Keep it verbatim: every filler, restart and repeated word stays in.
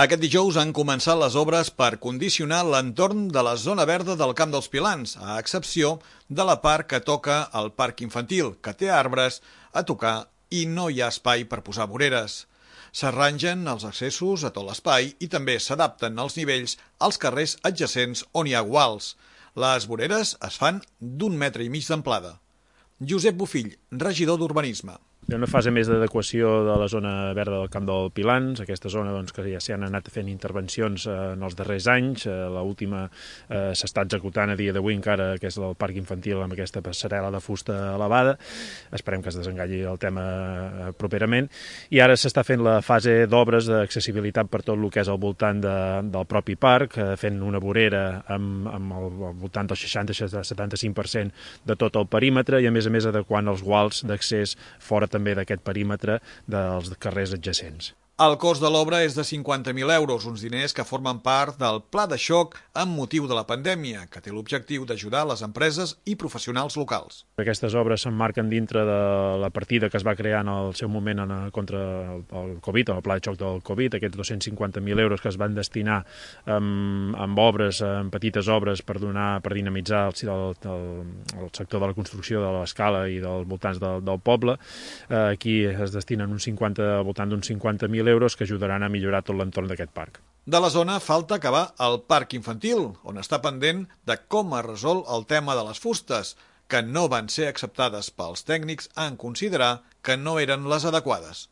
Aquest dijous han començat les obres per condicionar l'entorn de la zona verda del Camp dels Pilans, a excepció de la part que toca al parc infantil, que té arbres a tocar i no hi ha espai per posar voreres. S'arrangen els accessos a tot l'espai i també s'adapten els nivells als carrers adjacents on hi ha guals. Les voreres es fan d'un metre i mig d'amplada. Josep Bofill, regidor d'Urbanisme. Hi ha una fase més d'adequació de la zona verda del Camp dels Pilans, aquesta zona doncs, que ja s'hi han anat fent intervencions eh, en els darrers anys. Eh, L'última eh, s'està executant a dia d'avui encara, que és el parc infantil amb aquesta passarel·la de fusta elevada. Esperem que es desengalli el tema eh, properament. I ara s'està fent la fase d'obres d'accessibilitat per tot el que és al voltant de, del propi parc, eh, fent una vorera amb, amb el, al voltant del seixanta a setanta-cinc per cent de tot el perímetre i a més a més adequant els guals d'accés fora també d'aquest perímetre dels carrers adjacents. El cost de l'obra és de cinquanta mil euros, uns diners que formen part del pla de xoc amb motiu de la pandèmia, que té l'objectiu d'ajudar les empreses i professionals locals. Aquestes obres s'emmarquen dintre de la partida que es va crear en el seu moment en, contra el Covid, el pla de xoc del Covid, aquests dos-cents cinquanta mil euros que es van destinar amb, amb obres, amb petites obres per donar, per dinamitzar el, el, el sector de la construcció de l'escala i dels voltants del, del poble. Aquí es destinen un cinquanta, al voltant d'uns cinquanta mil euros que ajudaran a millorar tot l'entorn d'aquest parc. De la zona falta acabar el parc infantil, on està pendent de com es resol el tema de les fustes, que no van ser acceptades pels tècnics en considerar que no eren les adequades.